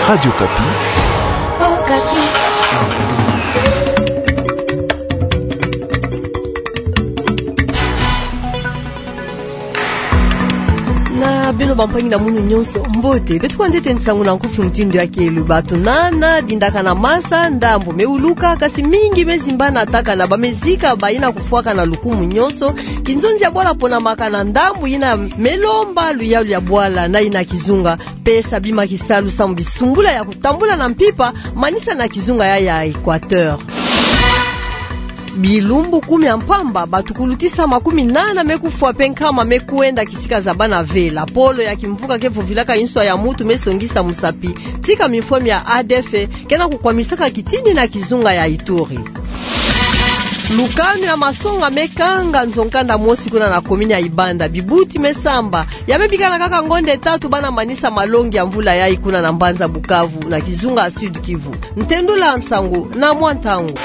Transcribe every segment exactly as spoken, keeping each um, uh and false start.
Radio Okapi. Na beno bampangi na munu nyonso, mbote. Beto kwandi tete nsangu na nkufi mutindu ya kelo. Bato nana, dindaka na masa, ndambu me wuluka, kasi mingi me zimbana, tâka na bamezika, bayina kufwaka na lukumu nyonso kinzonzi ya bwala, ponamaka na ndambu yina me lomba luyalu ya bwala na yina kizunga, pesa bima kisalu samu bisumbula ya kutambula na mpimpa, manisa na kizunga ya, ya Équateur. Bilumbu kumi ya mpamba, bato kulutisa makumi nana me kufwa mpe nkama me kwenda kisika zabana ve. Lapolo ya kimvuka ke vovilaka inswa ya mutu me songisa musapi, tika mifwemi ya A D F ke na kukwamisaka kitini na kizunga ya Ituri. Lukanu ya masonga me kanga nzo nkanda mosi kuna na komini ya Ibanda. Bibuti me samba, ya me bikana kaka ngonde tatu bana manisa malongi ya mvula yayi kuna na mbanza Bukavu, na kizunga Sud-Kivu. Ntendula nsangu na mwa ntangu.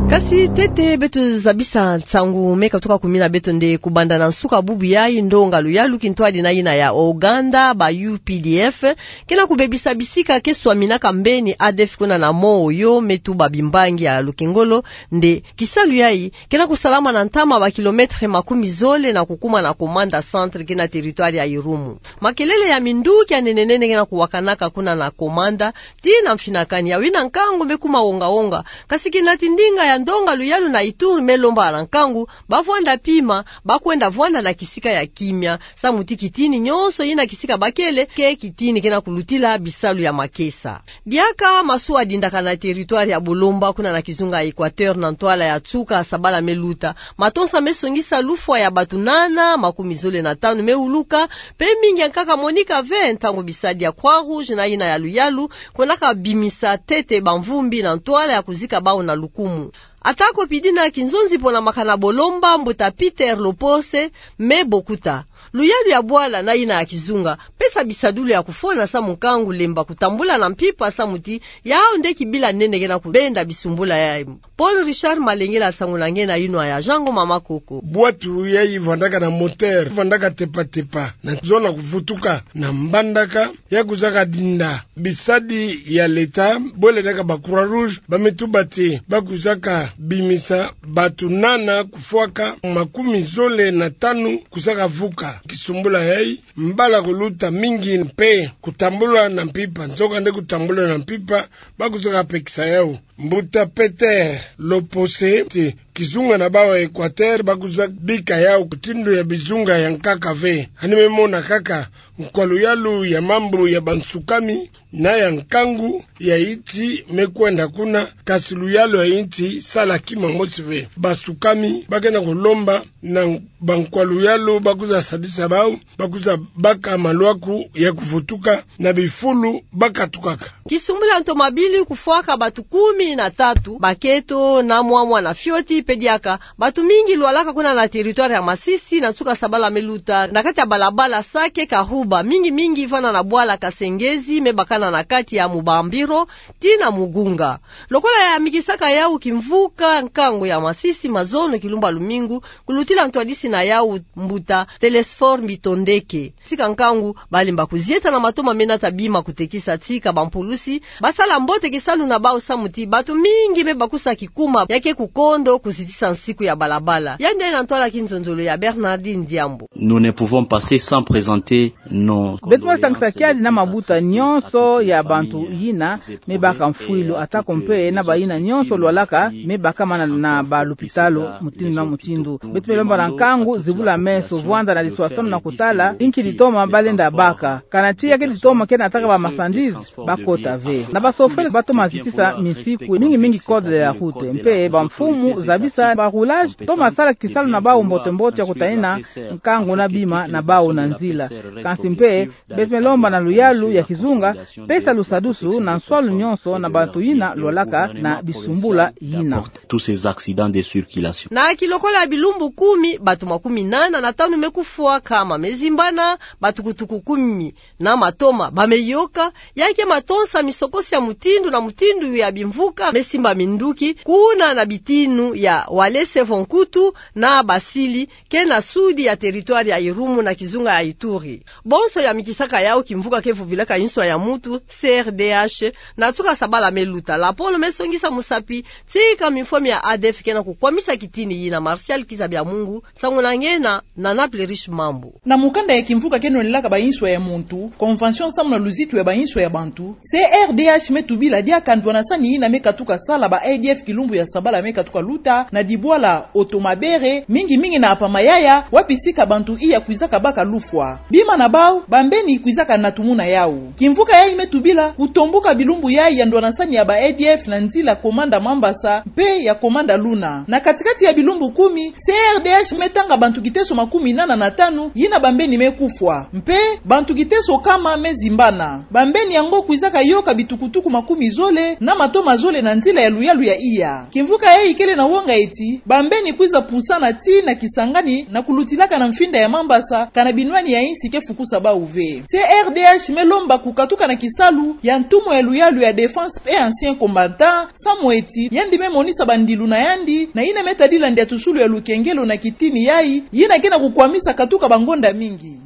Kasi tete beto zabisa nsangu me katuka kumina beto nde, kubanda na nsuka bubu yayi, ndonga luyalu kintwadi na yina ya Ouganda, ba U P D F, ke na kubebisa bisika ke swaminaka mbeni A D F kuna na Moyo, me tuba bimbangi ya lukengolo, nde kisalu yayi ke na kusalama na ntama ba kilomètre makumi zole na kukuma na Komanda Centre, ke na territoire ya Irumu. Makelele ya minduki ya nene-nene ke na kuwakanaka kuna na Komanda, tii na mfinakani ya wina nkangu me kuma wonga-wonga. Kasi kinati ndinga ya ndonga luyalu na Ituri me lomba na nkangu, ba vwanda pima, ba kwenda vwanda na kisika ya kimia, samu ti kitini nyonso yina kisika bakele, ke kitini ke na kulutila bisalu ya makesa. Diaka masuwa dindaka na territoire ya Bolomba kuna na kizunga ya Équateur na ntwala ya nsuka sabala me luta. Matonsa me songisa lufwa ya bato nana, makumi zole na tanu me wuluka, mpe mingi ya nkaka moneka ve ntangu bisadi ya Croix-Rouge na yina ya luyalu kwendaka bimisa tete bamvumbi na ntwala ya kuzika bau na lukumu. Atako pidi na kinzonzi ponamaka na Bolomba, mbuta Peter Lopose me bokuta luyalu ya bwala na yina ya kizunga, pesa bisadulu ya kufona samu nkangu lemba kutambula na mpimpa, samu ti yau nde kibila nene ke na kubenda bisumbula yayi. Paul Richard Malengela nsangu na nge na yinwa ya Jean Ngoma Makoko. Bwatu yayi vwandaka na moteur, vwandaka tepa-tepa, na zona kuvutuka, na mbandaka ya kuzaka dinda. Bisadi ya leta, bwele naka ba Croix-Rouge, ba me tuba ti ba kuzaka bimisa bato nana kufwaka, makumi zole na tanu kuzaka vuka. Kisumbula yayi, mbala kuluta mingi mpe kutambula na mpimpa. Nzokande kutambula na mpimpa, ba kuzaka pekisa yau. Mbuta Peter Lopose ti kizunga na bau ya Équateur ba kuza bika yau mutindu ya bizunga ya nkaka ve. Hani me mona kaka nkwa luyalu ya mambu ya bansukami na ya nkangu ya insi me kwenda kuna, kasi luyalu ya insi sala kima mosi ve. Basukami ba ke na kulomba na bankwa luyalu ba kuza sadisa bau, ba kuza baka malwaku ya kuvutuka na bifulu ba katukaka. Kisumbula ntomabili kufwaka bato kumi na tatu, baketo na mwa mwana fioti, mpe diaka bato mingi lwalaka kuna na territoire ya Masisi na nsuka sabala me luta, na kati ya balabala Sake Kahuba, mingi-mingi vanda na bwala Kasengezi, me bakana na kati ya Mubambiro tii na Mugunga. Lokola yamikisaka yau kimvuka nkangu ya Masisi, mazono kilumba lumingu, kulutila ntwadisi na yau, mbuta Telesphore Mbitondeke. Tika nkangu, balemba kuzieta na matoma me nata bima kutekisa tika bampulusi ba sala mbote kisalu na bau, samu ti bato mingi me bakusa kikuma ya ke kukondo kuzitisa nsiku ya balabala. Yandi na ntwala kinzonzolo ya Bernardine Diambo. Nous ne pouvons passer sans présenter nos condoléances. Beto me sangisa kiadi na mabuta nyonso ya bantu yina me baka mfwilu, atako mpe na bayina nyonso lwalaka me bakama na, na balupitalu mutindu na mutindu. Beto me lomba na nkangu zibula meso, vwanda na diswaswanu na kutala inki ditoma balenda baka. Kana ti ya ke ditoma ke nataka ba marchandises, ba kota ve. Na ba chauffeurs ba toma zitisa misiku, mingi-mingi code de la route. Mpe bamfumu zabisa ba rouages toma sala kisalu na bau mbote-mbote ya kutadina nkangu na bima na bau na nzila. Kansi mpe, beto me lomba na luyalu ya kizunga pesa lusadusu na nswalu nyonso na bato yina lwalaka na bisumbula yina. Tous ces accidents de circulation. Na kilokola ya bilumbu kumi, bato makumi nana na tanu me kufwa, nkama me zimbana, batukutuku kumi na matoma ba me yoka. Ya ke matonsa misokosi ya mutindu na mutindu ya bimvuka ka mesimba minduki kuna na bitinu ya Walese vo Nkutu na Basili, ke na sudi ya territoire ya Irumu na kizunga ya Ituri. Bonso yamikisaka yau kimvuka ke vovilaka inswa ya muntu, C R D H, na tuka sabala meluta, lapolo mesongisa musapi tika mifwa mia A D F ke na kukwamisa kitini yina. Martial Kizabiamungu, nsangu na ngena na Naples Riche Mambu. Na mukanda ya kimvuka ke nonelaka ba inswa ya muntu, convention samu na luzitu ya ba inswa ya bantu, C R D H metubila diaka ndwanasani yina mekatuka sala ba A D F kilumbu ya sabala mekatuka luta na dibwala Otomabere, mingi mingi na Apamayaya, wapi sika bantu iya kwizaka baka lufwa. Bima na bau, bambeni kwizaka na tumuna yau. Kimvuka yayi metubila kutombuka bilumbu yayi ya ndwanasani ya ba A D F na nzila Komanda Mambasa mpe ya Komanda Luna. Na katikati ya bilumbu kumi, C R D H metanga bantu kiteso makumi nana na tanu yina bambeni mekufwa, mpe bantu kiteso kama mezimbana. Bambeni yango kwizaka yoka bitukutuku makumi zole na matoma zole na nzila ya luyalu ya iya. Kimvuka yayi kele na wonga eti bambeni kwiza pusana tii na Kisangani na kulutilaka na mfinda ya Mambasa, kana binwani ya insi ke fukusa bau ve. C R D H melomba kukatuka na kisalu ya ntumwa ya luyalu ya Défense et Anciens Combattants, samu eti yandi memonisa bandilu na yandi na yina metadila ndiatusulu ya lukengelo na kitini yayi, yina ke na kukwamisa katuka bangonda mingi.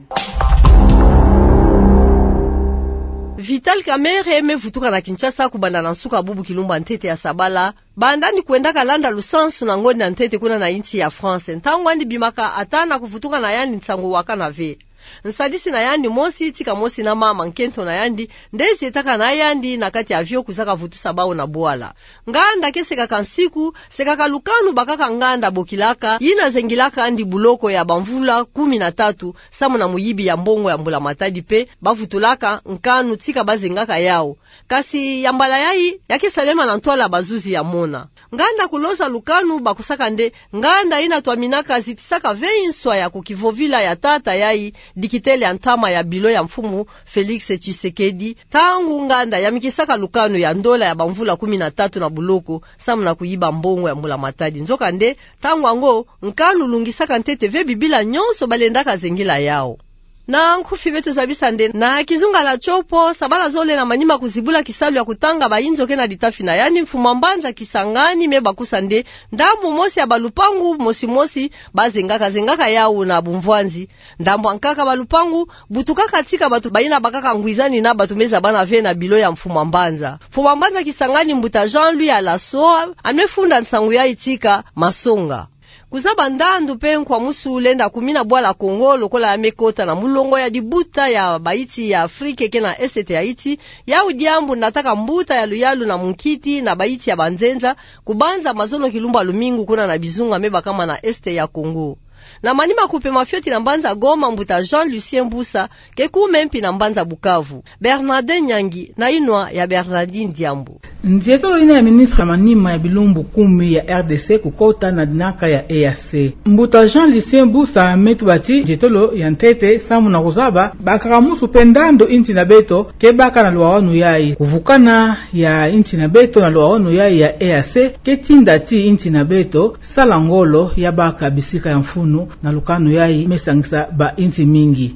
Vital Kamerhe mevutuka na Kinshasa kubanda na nsuka bubu kilumbu ya ntete ya sabala, banda ni kwendaka landa lusansu na ngonda ya ntete kuna na insi ya France. Ntangu andi bimaka ata na kuvutuka na yandi nsangu wakana ve. Nsadisi na yandi mosi tika mosi na mama nkento na yandi, nde zietaka na yandi na kati ya avion kwizaka vutusa bau na bwala. Nganda ke sekaka nsiku, sekaka lukanu bakaka nganda bokilaka, yina zengilaka andi buloko ya bamvula kumi na tatu, samu na muyibi ya mbongo ya mbula matadi mpe bavutulaka nkanu tika bazengaka yau. Kasi ya mbala yayi, ya ke salema na ntwala bazuzi ya mona. Nganda kuloza lukanu bakusaka nde nganda yina twaminaka zitisaka ve inswa ya kukivovila ya tata yayi, dikitele ya ntama ya bilo ya mfumu Félix Tshisekedi, ntangu nganda yamikisaka lukanu ya ndola ya bamvula kumi na tatu na buloko, samu na kuyiba mbongo ya mbula matadi. Nzokande, ntangu yango, nkanu lungisaka ntete ve bibila nyonso balendaka zengila yau. Na nkufi beto zabisa nde na kizunga la Tshopo, sabala zole na manima kuzibula kisalu ya kutanga bayinzo ke na litafi na yandi, mfumu wa mbanza Kisangani mebakusa nde ndambu mosi ya balupangu mosi mosi bazengaka, zengaka yau na bumvwanzi. Ndambu ya nkaka balupangu butukaka tika bato bayina bakaka ngwizani na bato mezabana ve na bilo ya mfumu wa mbanza. Mfumu wa mbanza Kisangani, mbuta Jean-Louis Alassoa, amefunda nsangu yayi tika masonga. Kuzaba ndandu mpe nkwamusu lenda kumina bwala Kongo lokola ya mekota na mulongo ya dibuta ya bayinsi ya Afrika ke na esete ya insi, yau diambu nataka mbuta ya luyalu na munkiti na bayinsi ya banzenza, kubanza mazono kilumbu ya lumingu kuna na bizunga mebakama na esete ya Kongo. Na manima kupema fioti na mbanza Goma, mbuta Jean Lucien Busa, ke kume mpi na mbanza Bukavu. Bernardin Nyangi, na inwa ya Bernardin Diambu. Nzietolo yina ya ministre ya manima ya bilumbu kumi ya R D C kukota na dinaka ya E A C. Mbuta Jean Lucien Busa metuba ti nzietolo ya ntete samu na kuzaba bakaramusu mpe ndandu insi na beto ke baka na luwawanu yayi. Kuvukana ya insi na beto na luwawanu yayi ya E A C ke tinda ti insi na beto sala ngolo ya baka bisika ya mfunu na lukanu yayi mesangisa bayinsi mingi.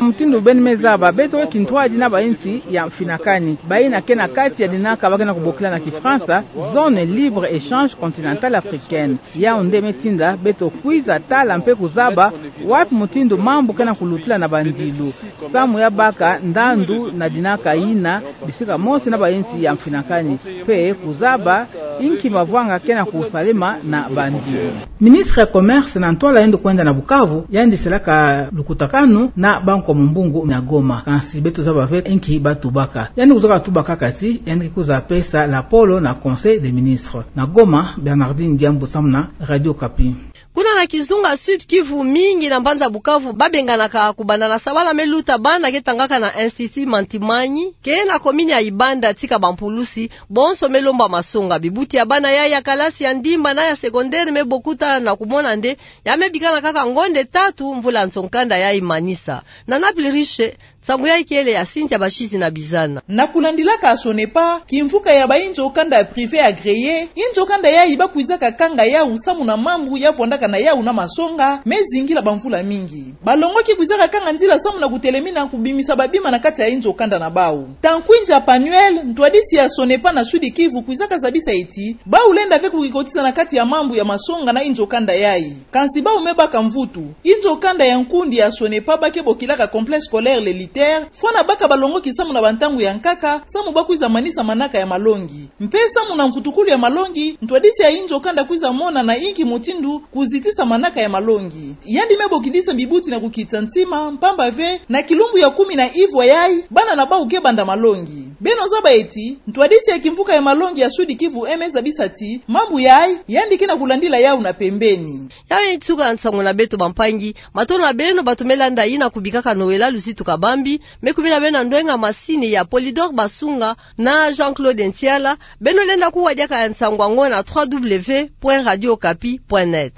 Mutindu beno mezaba, beto kintwadi na bayinsi ya mfinakani, bayina ke na kati ya dinaka ba ke na kubokila na Kifaransa zone libre échange continentale africaine. Yau nde metinda beto kwiza tala mpe kuzaba wapi mutindu mambu ke na kulutila na bandilu, samu ya baka ndandu na dinaka yina bisika mosi na bayinsi ya mfinakani, mpe kuzaba inki mavwanga ke na kusalema na bandilu. Ministre ya Commerce na ntwala yandi kwenda na Bukavu, yandi salaka lukutakanu na bankwa mumbungu na Goma. Kansi beto zaba ve inki batubaka. Yandi kuzaka tuba kaka ti yandi kwiza pesa lapolo na Conseil des ministres. Na Goma, Bernardine Diambu samu na Radio Okapi. Kuna na kizunga Sud-Kivu, mingi na mbanza Bukavu babenganaka kubanda na sabala meluta bana ke tangaka na Institut Mantimani, ke na commune ya Ibanda, tika bampulusi bonso melomba masonga. Bibuti ya bana yayi ya kalasi ya ndimba na ya secondaire mebokuta na kumona nde ya mebikana kaka ngonde tatu mvula nsoni kanda yayi manisa. Na Naples Riche, Nsangu yayi kele ya sintia bashidi na bizana. Na kulandilaka ya SONEPA, kimvuka ya bainzo kanda ya privé agréé, inzo kanda yayi bakwizaka kanga yawu samu na mambu ya vwandaka na yawu na masonga me zingila bamvula mingi. Balongoki kwizaka kanga nzila samu na kutelemina kubimisa babima na kati ya inzo kanda na bawu. Tankwinja Panuel, ntwadisi ya SONEPA na Sud-Kivu, kwizaka zabisa ti bawu lenda ve kukikotisa na kati ya mambu ya masonga na inzo kanda yayi. Kansi bawu me baka mvutu. Inzo kanda ya nkundi ya SONEPA ba ke bokilaka Complexe Scolaire L'Élitaire, fwana baka balongoki samu na bantangu ya nkaka, samu bakwiza manisa manaka ya malongi. Mpe samu na nkutukulu ya malongi, ntwadisi ya inzo kanda kwiza mona na inki mutindu kuzitisa manaka ya malongi. Yandi me bokidisa bibuti na kukitsa ntima, mpamba ve, na kilumbu ya kumi na ivwa yayi, bana na bawu ke banda malongi. Beno zaba ti, ntwadisi ya kimvuka ya malongi ya Sud-Kivu me zabisa ti mambu yayi, yandi ke na kulandila yawu na pembeni. Yayi nsuka ya nsangu na beto bampangi, matondo na beno bato me landa yina kubikaka Noëlla Luzitu Kabambi, me kumina beno na ndwenga masini ya Polydor Basunga na Jean-Claude Ntiala. Beno lenda kuwa diaka ya nsangu yango na trois W point radio okapi point net.